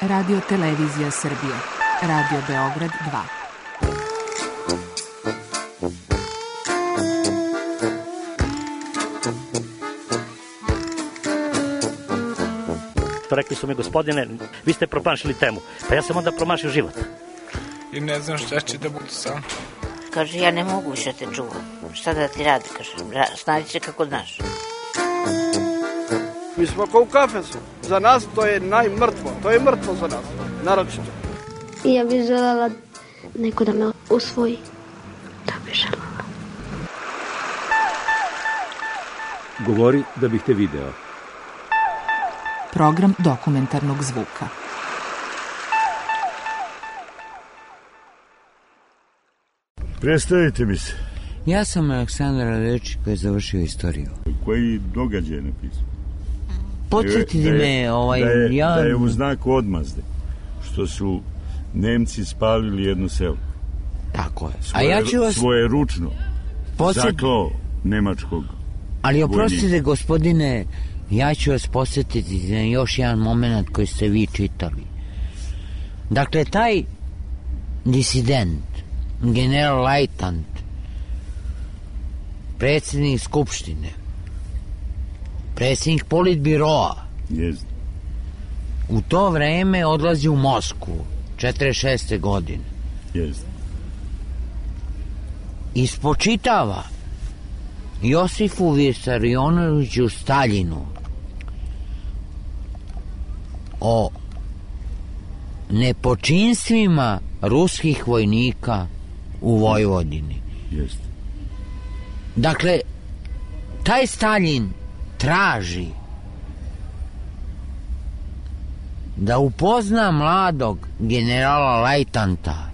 Radio Televizija Srbije, Radio Beograd 2. Rekli su mi, gospodine, vi ste promašili temu. Pa ja sam onda promašio život. I ne znam šta će da bude sam. Kaže, ja ne mogu više te čuvam. Šta da ti radi, kaže, snađi se kako znaš. Mi smo kao u kafesu. Za nas to je najmrtvo. To je mrtvo za nas, naročito. I ja bih želela neko da me usvoji. Da bih želela. Govori da bih te video. Program dokumentarnog zvuka. Predstavite mi se. Ja sam Aleksandar Radečić koji je završio istoriju. Koji događaj je napisao? Podsjetite me, da je u znaku odmazde, što su Nemci spalili jedno selo. Tako je. Svoje ručno zaklao nemačkog vojnika. Ali oprostite, gospodine, ja ću vas podsjetiti na još jedan moment koji ste vi čitali. Dakle, taj disident, general Lajtant, predsjednik Skupštine, predsjednik Politbiroa, u to vreme odlazi u Moskvu, 46. godine. Ispočitava Josifu Visarionoviću Staljinu o nepočinstvima ruskih vojnika u Vojvodini. Dakle, taj Staljin traži da upozna mladog generala Lajtanta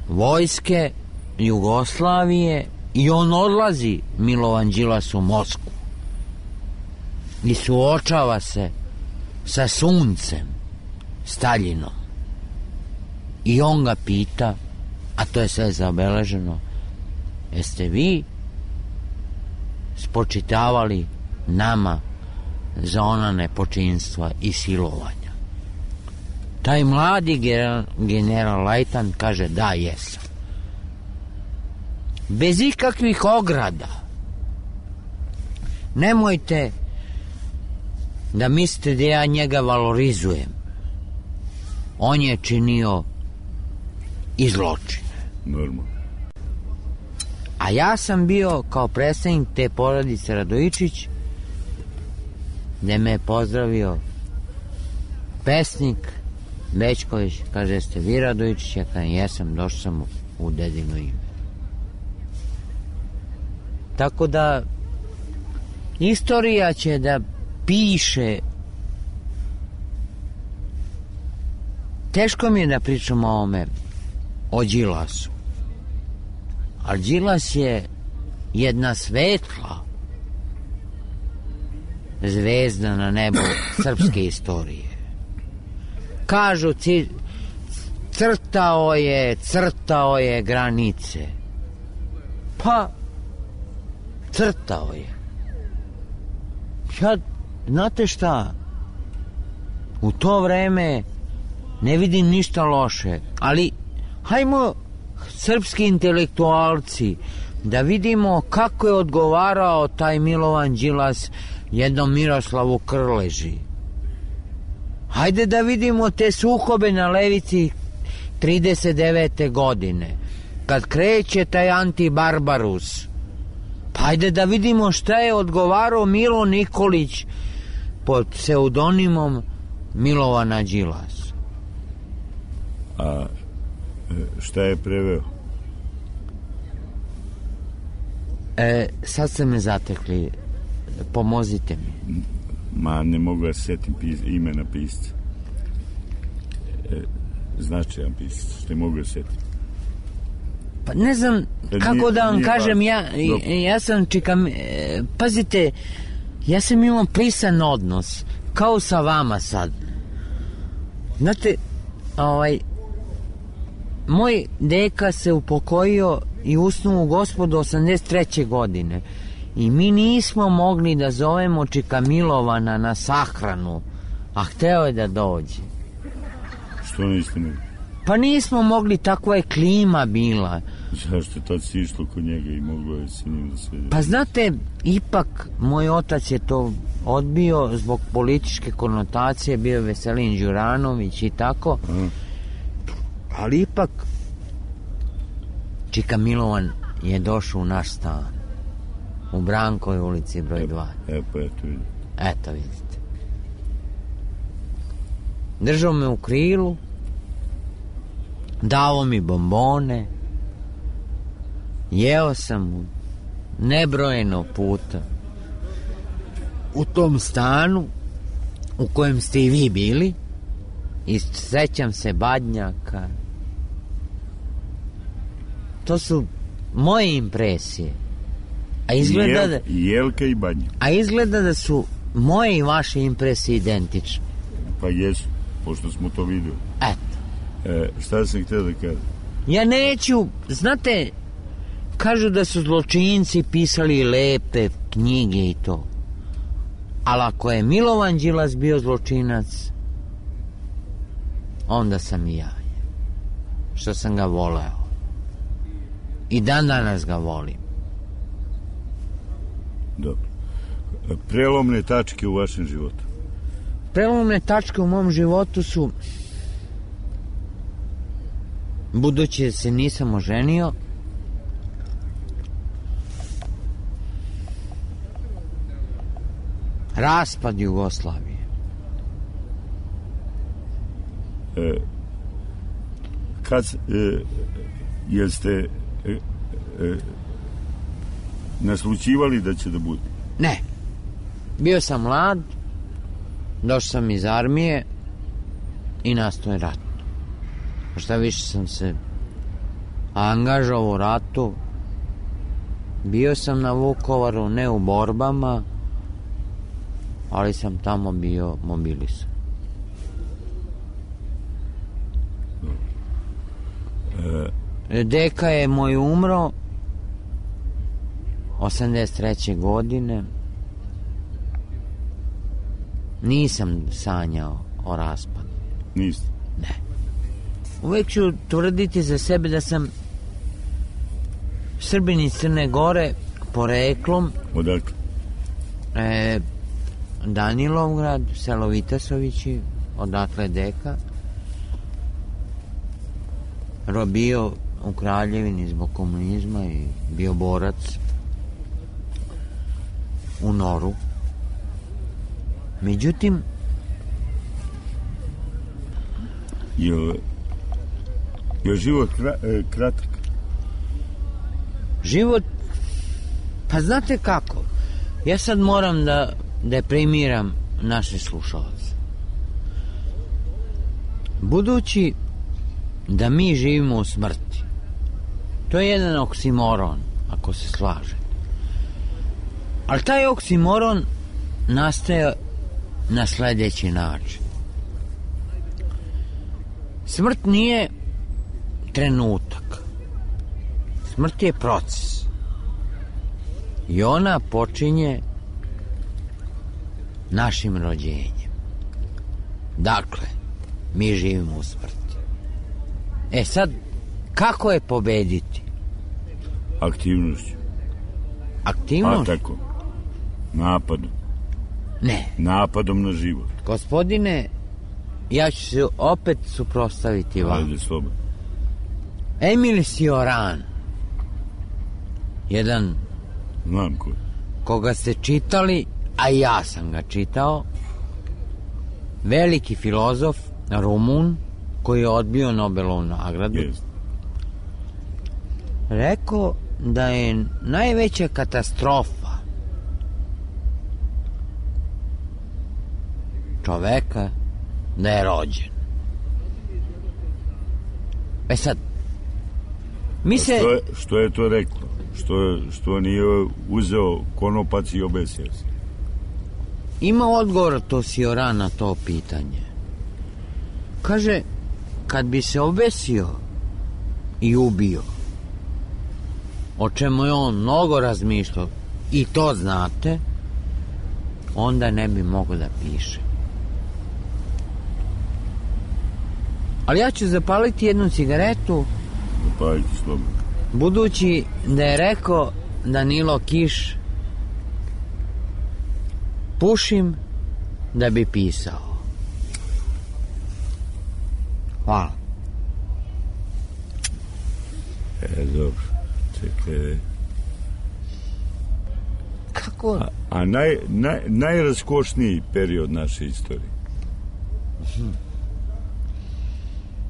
vojske Jugoslavije i on odlazi, Milovan Đilas, u Moskvu i suočava se sa suncem Staljinom i on ga pita, a to je sve zabeleženo, jeste vi spočitavali nama za ona nepočinstva i silovanja? Taj mladi general Lajtan kaže, da, jesam. Bez ikakvih ograda. Nemojte da mislite da ja njega valorizujem. On je činio i zločine. Normalno. A ja sam bio kao predstavnik te porodice Radojičić, gde me je pozdravio pesnik Bećković, kaže, jeste vi Radojičić? Ja kažem, jesam, došao sam u dedino ime. Tako da istorija će da piše. Teško mi je da pričam o ovome, o Đilasu. Ali Đilas je jedna svetla zvezda na nebu srpske istorije. Kažu, crtao je granice. Pa, crtao je. Ja, znate šta, u to vreme ne vidim ništa loše, ali hajmo srpski intelektualci da vidimo kako je odgovarao taj Milovan Đilas jednom Miroslavu Krleži. Hajde da vidimo te sukobe na levici 39. godine, kad kreće taj antibarbarus. Pa hajde da vidimo šta je odgovarao Milo Nikolić pod pseudonimom Milovana Đilasa. A šta je preveo? Sad ste me zatekli, pomozite mi. Ma, ne mogu da setim imena pisca. Značajan pisac, ne mogu da setim. Pa ne znam kako da vam kažem, ja sam pazite, ja sam imao prisan odnos, kao sa vama sad. Znate, moj deka se upokojio i usnuo u Gospodu 83. godine i mi nismo mogli da zovemo čika Milovana na sahranu, a hteo je da dođe. Što niste mogli? Pa nismo mogli, takva je klima bila. Zašto tad si išlo kod njega i moglo je s njim da se... Pa znate, ipak moj otac je to odbio zbog političke konotacije, bio Veselin Đuranović i tako. Ali ipak Čika Milovan je došao u naš stan u Brankovoj ulici broj 2. Pa eto vidite. Eto vidite. Držao me u krilu, dao mi bombone, jeo sam nebrojeno puta u tom stanu u kojem ste i vi bili i sećam se Badnjaka. To su moje impresije. A izgleda Jelka i Badnjak. A izgleda da su moje i vaše impresije identične. Pa jesu, pošto smo to videli. Eto. Šta sam htio da kažem? Ja neću, znate, kažu da su zločinci pisali lepe knjige i to. Ali ako je Milovan Đilas bio zločinac, onda sam i ja. Što sam ga voleo. I dan danas ga volim. Dobro. Prelomne tačke u vašem životu? Prelomne tačke u mom životu su, budući da se nisam oženio, raspad Jugoslavije. Kad jeste naslućivali da će da bude? Ne. Bio sam mlad, došao sam iz armije i nastao je rat. Šta više sam se angažovao u ratu. Bio sam na Vukovaru, ne u borbama, ali sam tamo bio mobilisan. Deka je moj umro 83. godine. Nisam sanjao o raspadu. Niste? Ne. Uvijek ću tvrditi za sebe da sam Srbin iz Crne Gore poreklom. Odakle? Danilovgrad, selo Vitasovići, odatle deka. Bio u Kraljevini zbog komunizma i bio borac u Noru. Međutim, je život kratak? Život, pa znate kako, ja sad moram da deprimiram naše slušalce. Budući da mi živimo u smrti, to je jedan oksimoron, ako se slažete. Ali taj oksimoron nastaje na sledeći način. Smrt nije trenutak. Smrt je proces. I ona počinje našim rođenjem. Dakle, mi živimo u smrti. Sad, kako je pobediti? Aktivnošću. Aktivnošću? A tako. Napadom. Ne. Napadom na život. Gospodine, ja ću se opet suprotstaviti vam. Ajde, slobodno. Emil Cioran, jedan... Znam ko je. Koga ste čitali, a ja sam ga čitao, veliki filozof, Rumun, koji je odbio Nobelovu nagradu, rekao da je najveća katastrofa čoveka da je rođen. Sad, mi se... Što je to reklo? Što nije uzeo konopac i obesio se? Ima odgovor to Cioran na to pitanje. Kaže, kad bi se obesio i ubio, o čemu je on mnogo razmišljao, i to znate, onda ne bi mogao da piše. Ali ja ću zapaliti jednu cigaretu. Zapaliti slobodno. Budući da je rekao Danilo Kiš, pušim da bi pisao. Hvala. Dobro. Čekaj. Kako? A najraskošniji period naše istorije?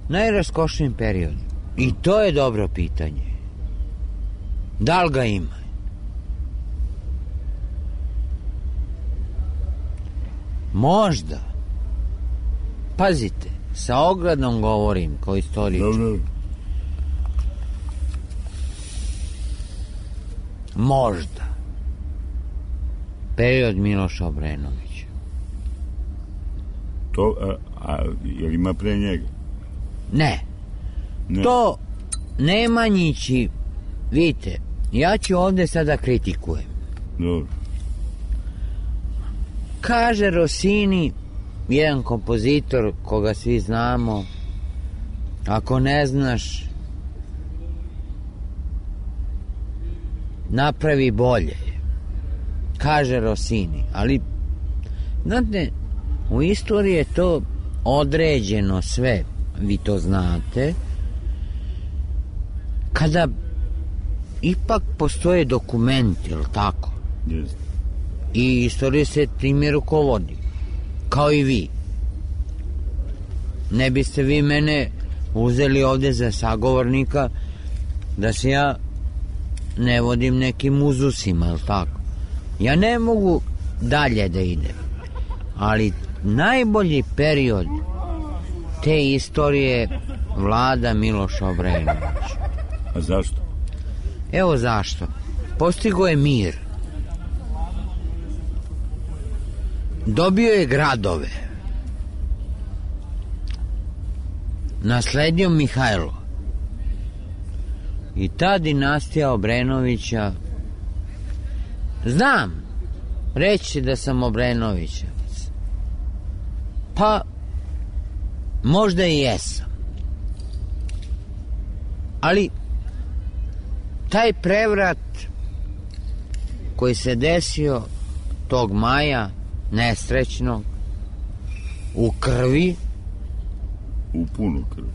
Najraskošniji period. I to je dobro pitanje. Da li ga ima? Možda. Pazite, sa ogradom govorim kao istoričar. Dobro. Možda. Period Miloša Obrenovića. To, jel ima pre njega? Ne. To Nemanjići, vidite, ja ću ovde sada kritikujem. Dobro. Kaže Rossini, jedan kompozitor koga svi znamo, ako ne znaš, napravi bolje. Kaže Rossini, ali znate, u istoriji je to određeno sve, vi to znate, kada ipak postoje dokumenti, jel tako? Jeste. I istorija se time rukovodi, kao i vi. Ne biste vi mene uzeli ovde za sagovornika da se ja ne vodim nekim uzusima, jel tako? Ja ne mogu dalje da idem, ali najbolji period te istorije vlada Miloša Obrenović. A zašto? Evo zašto. Postigo je mir. Dobio je gradove. Nasledio Mihajlo. I ta dinastija Obrenovića, znam, reći da sam Obrenovićevac. Pa, možda i jesam. Ali, taj prevrat koji se desio tog maja nesrećnog u krvi, u punu krvi,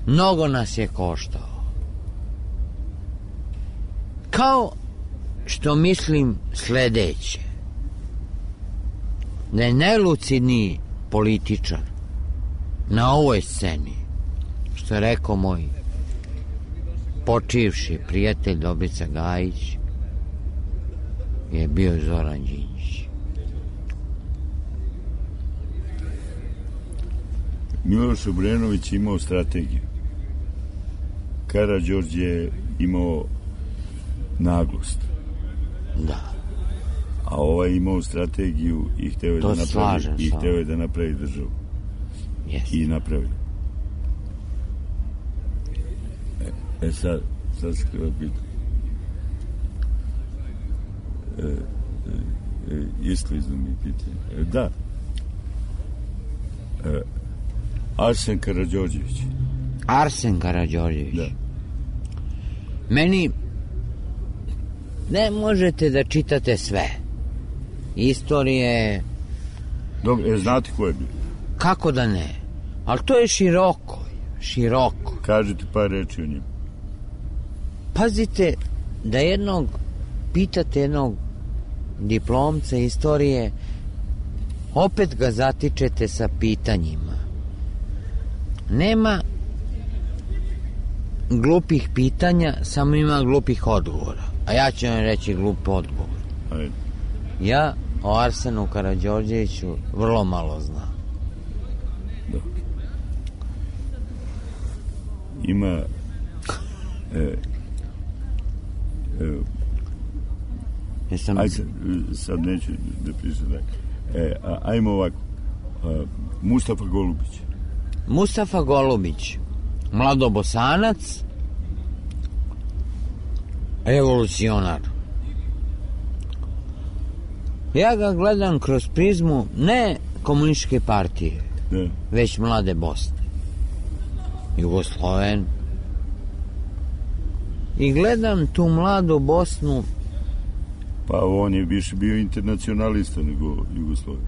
mnogo nas je koštao. Kao što mislim sledeće, da je najlucidniji političar na ovoj sceni, što je rekao moj počivši prijatelj Dobrica Gajić, je bio Zoran Đinđić. Miloš Obrenović imao strategiju. Karađorđe je imao naglost. Da. A ovaj imao strategiju i hteo je da napravi državu. Yes. I napravi. Sad se treba pitati. Isklizno mi pitanje. Da. Arsen Karađorđević. Arsen Karađorđević. Da. Meni ne možete da čitate sve. Istorije... Dobro, znate ko je bio? Kako da ne? Ali to je široko. Široko. Kažete par reči o njemu. Pazite, da pitate jednog diplomca istorije, opet ga zatičete sa pitanjima. Nema glupih pitanja, samo ima glupih odgovora. A ja ću vam reći glup odgovor. Ajde. Ja o Arsenu Karađorđeviću vrlo malo znam. Dobro. Ima ajde, sad neću da pišem ajmo ovako. Mustafa Golubić. Mustafa Golubić, mladobosanac, revolucionar. Ja ga gledam kroz prizmu ne komunističke partije, već Mlade Bosne. Jugosloven. I gledam tu mladu Bosnu. Pa on je više bio internacionalista nego Jugosloven.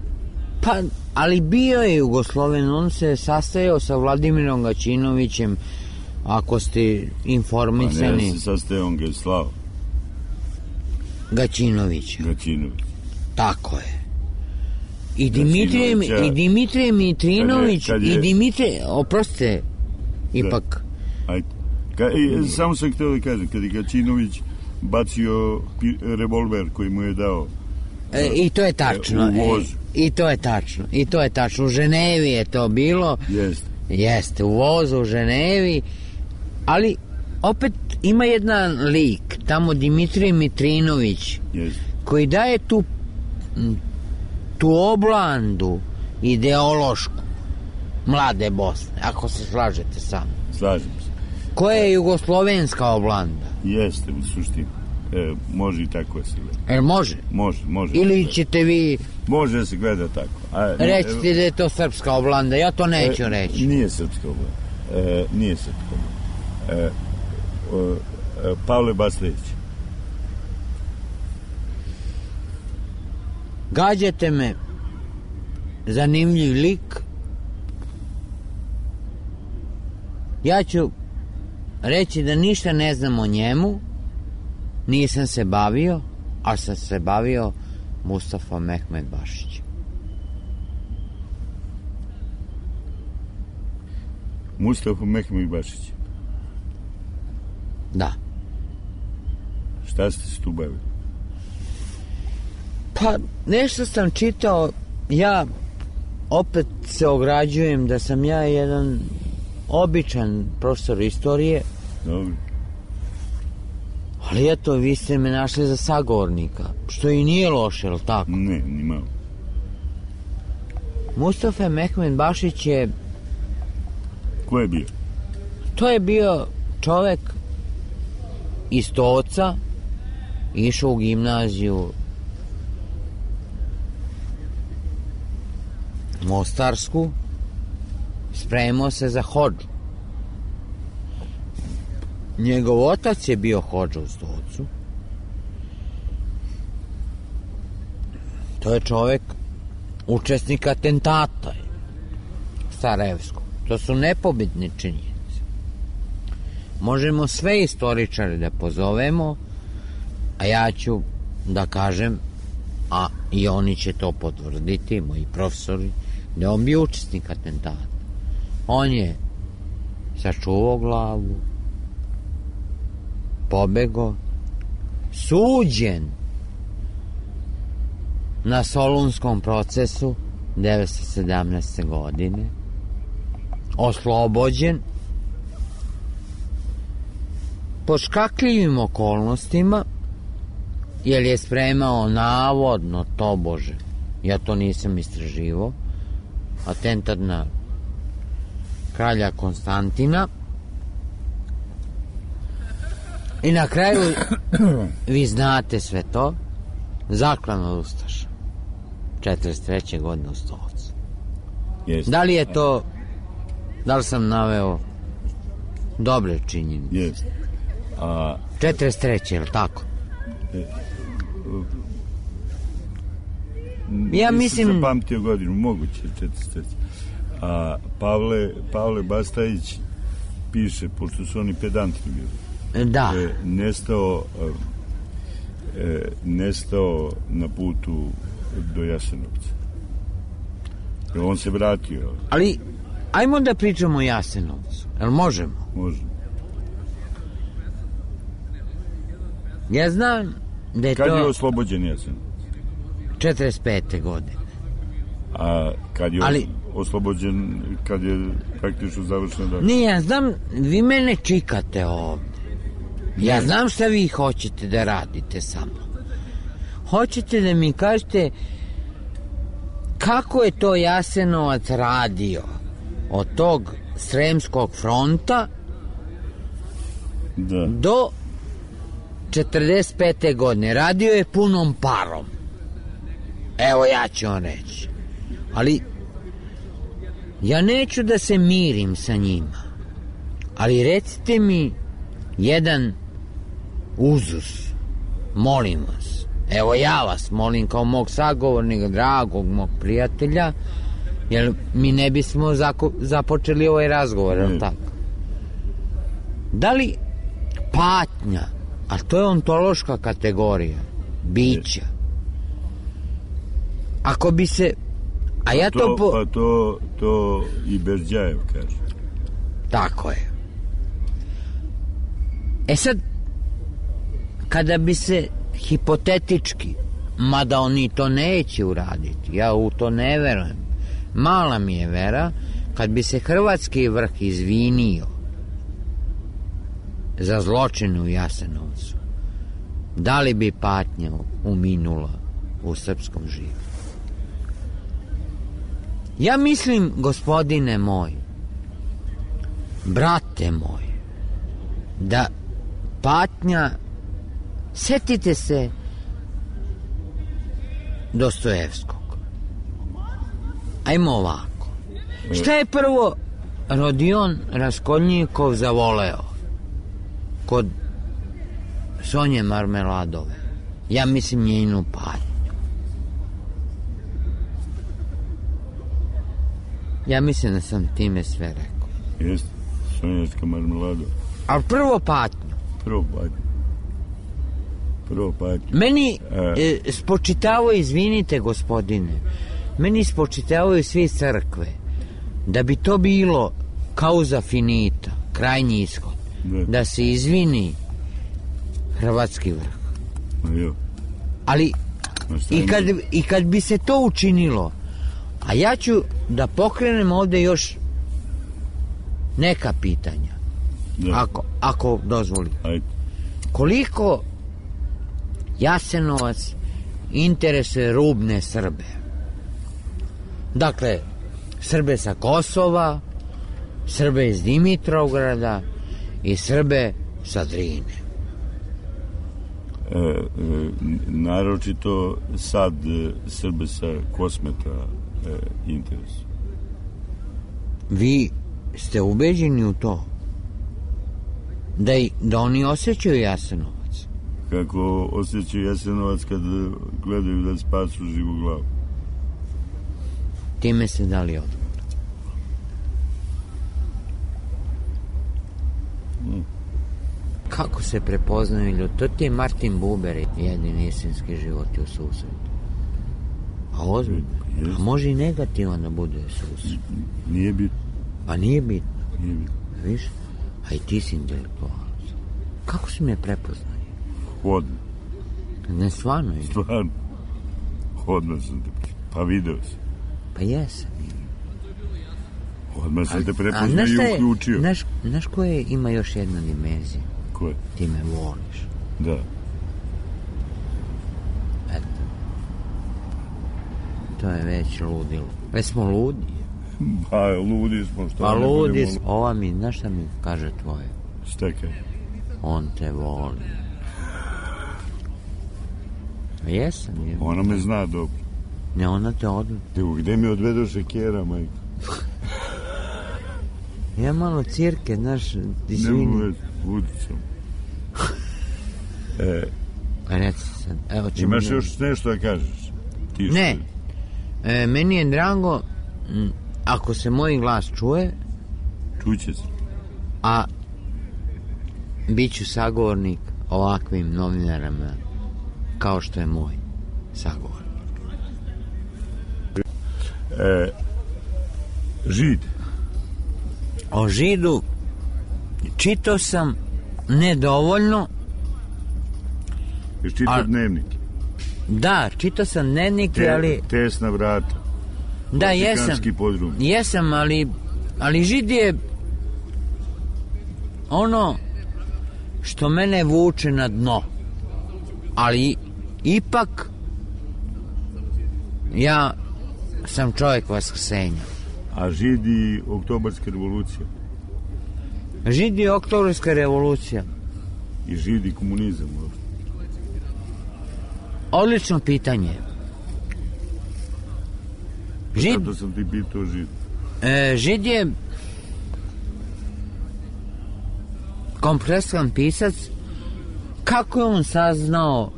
Pa, ali bio je Jugosloven, on se sastajao sa Vladimirom Gaćinovićem, ako ste informisani. Pa ne, se sastajao, on ga je slao. Gaćinovića. Gaćinović. Tako je. I Dimitrije Mitrinović, i Dimitrije, oprostite, ipak. Ajde. Samo sam htio da kažem, kad je Gaćinović bacio revolver koji mu je dao i to je tačno. U vozu. I to je tačno. U Ženevi je to bilo. Jeste, u vozu u Ženevi. Ali opet ima jedan lik, tamo Dimitrije Mitrinović, koji daje tu oblandu ideološku mlade Bosne, ako se slažete sa mnom. Slažem se. Koja je jugoslovenska oblanda? Jeste, u suštini. Može i tako da se gleda. Može? Može. Ili ćete vi... Može da se gleda tako. Recite da je to srpska oblanda, ja to neću reći. Nije srpska oblanda. Nije srpska oblanda. Pavle Baslević. Gađate me, zanimljiv lik. Ja ću reći da ništa ne znam o njemu, nisam se bavio, ali sam se bavio Mustafa Mehmed Bašić. Mustafa Mehmed Bašić? Da. Šta ste se tu bavili? Pa, nešto sam čitao, ja opet se ograđujem da sam ja jedan običan profesor istorije. Dobro. Ali eto, vi ste me našli za sagovornika, što i nije loše, je li tako? Ne, ni malo. Mustafa Mehmed Bašić je... Ko je bio? To je bio čovek iz Stoca, išao u gimnaziju Mostarsku, spremao se za hodžu. Njegov otac je bio hodža u Stocu. To je čovek učesnik atentata Sarajevskog. To su nepobitne činjenice. Možemo sve istoričare da pozovemo, a ja ću da kažem, a i oni će to potvrditi, moji profesori, da je on bio učesnik atentata. On je sačuvao glavu, pobego, suđen na Solunskom procesu 1917. godine, oslobođen pod škakljivim okolnostima, jer je spremao navodno, tobože, ja to nisam istraživao, atentat na kralja Konstantina. I na kraju, vi znate sve to, zaklan od ustaša 43. godine u Stolcu. Da li je to, da li sam naveo dobre činjenice? Jeste. 43. je li tako? Ja mislim... Nisam zapamtio godinu, moguće 43. A Pavle Bastajić piše, pošto su oni pedanti bili, da, nestao na putu do Jasenovca. On se vratio. Ali ajmo da pričamo o Jasenovcu. Jel možemo? Možemo. Ja znam da je kad to... je oslobođen Jasenovac? 45. godine. A kad je oslobođen, kad je praktično završeno da... Ne, ja znam, vi mene čikate ovde. Ja znam šta vi hoćete da radite sa mnom. Hoćete da mi kažete kako je to Jasenovac radio od tog Sremskog fronta do 45. godine. Radio je punom parom. Evo, ja ću vam reći. Ali ja neću da se mirim sa njima. Ali recite mi jedan uzus, molim vas. Evo ja vas molim kao mog sagovornika, dragog mog prijatelja, jer mi ne bismo započeli ovaj razgovor, jel tako? Da li patnja, a to je ontološka kategorija bića, ako bi se, a ja to Pa to i Berđajev kaže. Tako je. E sad, kada bi se hipotetički, mada oni to neće uraditi, ja u to ne verujem, mala mi je vera, kad bi se hrvatski vrh izvinio za zločine u Jasenovcu, da li bi patnja uminula u srpskom živu? Ja mislim, gospodine moj, brate moj, da patnja, setite se Dostojevskog. Ajmo ovako. Šta je prvo Rodion Raskolnikov zavoleo kod Sonje Marmeladove? Ja mislim njenu patnju. Ja mislim da sam time sve rekao. Jeste, Sonjačka Marmeladova. Ali prvo patnju. Prvo patnju. Meni spočitavaju, izvinite gospodine, meni spočitavaju svi crkve da bi to bilo causa finita, krajnji ishod, da se izvini hrvatski vrh. Ali i kad bi se to učinilo, a ja ću da pokrenem ovde još neka pitanja, ako dozvolite. Koliko Jasenovac interesuje rubne Srbe? Dakle, Srbe sa Kosova, Srbe iz Dimitrovgrada i Srbe sa Drine. Naročito sad Srbe sa Kosmeta interesuje. Vi ste ubeđeni u to? Da oni osjećaju Jasenovac? Kako osjećaju Jasenovac kad gledaju da spasu živu glavu? Time se dali odgovor. Kako se prepoznaju ljudi? To ti je Martin Buber, jedini istinski život u susretu. A ozbiljno. A može i negativan da bude susret. Nije bitno. Pa nije bitno. Viš? A i ti si intelektualac. Kako si me prepoznao? Hodno. Ne, stvarno je. Stvarno. Hodno sam te prepoznao. Pa video sam. Pa jesam. Odmah sam te prepoznao i uključio. Znaš koje ima još jedna dimenzija? Koje? Ti me voliš. Da. Eto. To je već ludilo. Već smo ludi. Pa ludi smo. Pa ludi smo. Ova mi, znaš šta mi kaže tvoje? Šta kaže? On te voli. Jesam. Ona me zna dobro. Ne, ona te odvede. Evo, gde mi odvedoše kjera, majko? Ja malo cirke, znaš, izvini. Ne uvez, udicam. Reci sad. Evo, imaš još nešto da kažeš? Ne. Meni je drago, ako se moj glas čuje, čuće se. A bit ću sagovornik ovakvim novinarama kao što je moj sagovornik. Žid. O Židu čitao sam nedovoljno. Ješ čitao dnevnik? Da, čitao sam dnevnik, ali... Tesna vrata. Da, jesam, ali Žid je ono što mene vuče na dno. Ali ipak ja sam čovjek vaskrsenja. A Žid i Oktobarska revolucija? Žid i Oktobarska revolucija. I Žid i komunizam? Odlično pitanje. Zato sam ti pitao Žid. Žid je kompletan pisac, kako je on saznao,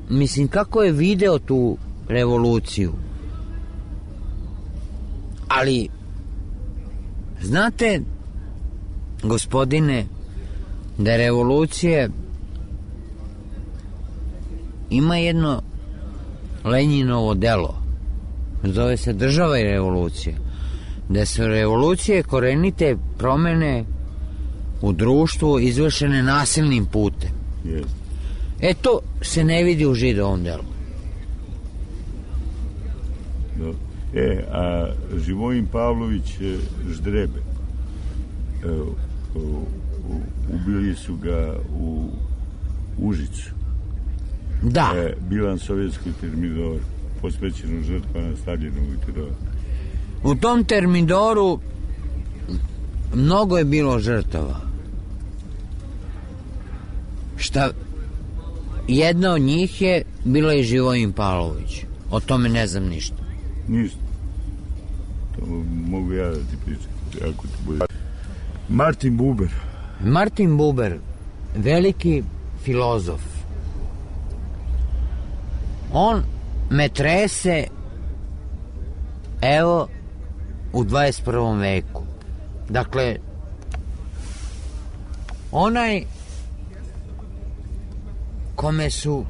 mislim, kako je video tu revoluciju. Ali, znate, gospodine, da revolucije ima jedno Lenjinovo delo, zove se Država i revolucija, da su revolucije korenite promene u društvu izvršene nasilnim putem. Yes. To se ne vidi u Židovom delu. A Živojin Pavlović Ždrebe, ubili su ga u Užicu. Da. Bilan sovjetskog termidoru, posvećeno žrtvama Staljinovog terora. U tom termidoru mnogo je bilo žrtava. Jedna od njih je bila i Živojin Pavlović. O tome ne znam ništa. Ništa. To mogu ja da ti pričam. Ako ti bude. Martin Buber. Martin Buber, veliki filozof. On me trese, evo, u 21. veku. Dakle, onaj kome su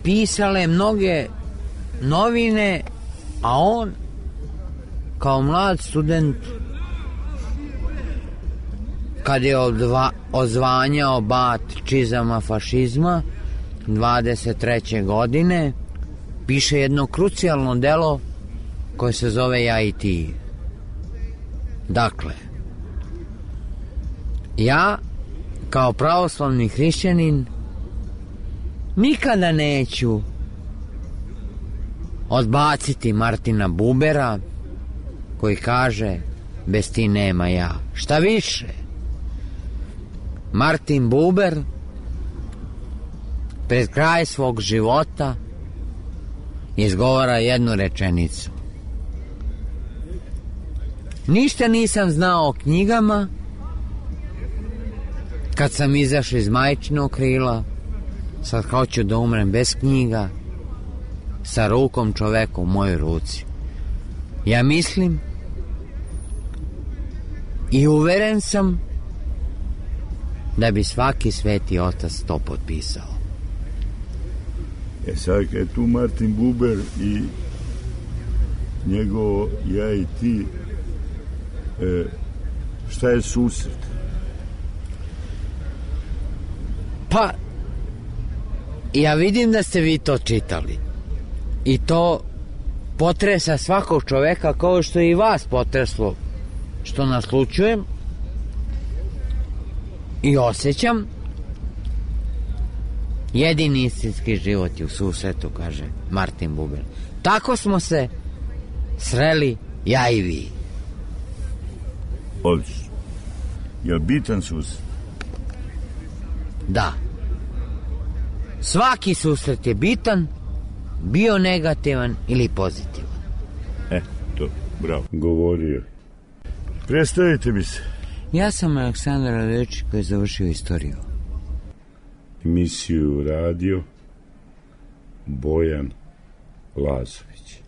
pisale mnoge novine, a on kao mlad student, kad je ozvanjao bat čizama fašizma 23. godine, piše jedno krucijalno delo koje se zove Ja i ti. Dakle, ja kao pravoslavni hrišćanin nikada neću odbaciti Martina Bubera koji kaže bez ti nema ja. Šta više, Martin Buber pred kraj svog života izgovara jednu rečenicu: ništa nisam znao o knjigama kad sam izašao iz majčinog krila, sad hoću da umrem bez knjiga, sa rukom čoveka u mojoj ruci. Ja mislim i uveren sam da bi svaki sveti otac to potpisao. Sad je tu Martin Buber i njegovo Ja i ti, šta je susret? Pa, ja vidim da ste vi to čitali i to potresa svakog čoveka kao što je i vas potreslo što naslučujem i osjećam. Jedini istinski život je u susretu, kaže Martin Buber. Tako smo se sreli ja i vi. Odlično. Je li bitan susret? Da. Svaki susret je bitan, bio negativan ili pozitivan. To, bravo. Govorio. Predstavite mi se. Ja sam Aleksandar Radojičić koji je završio istoriju. Emisiju radio Bojan Lazović.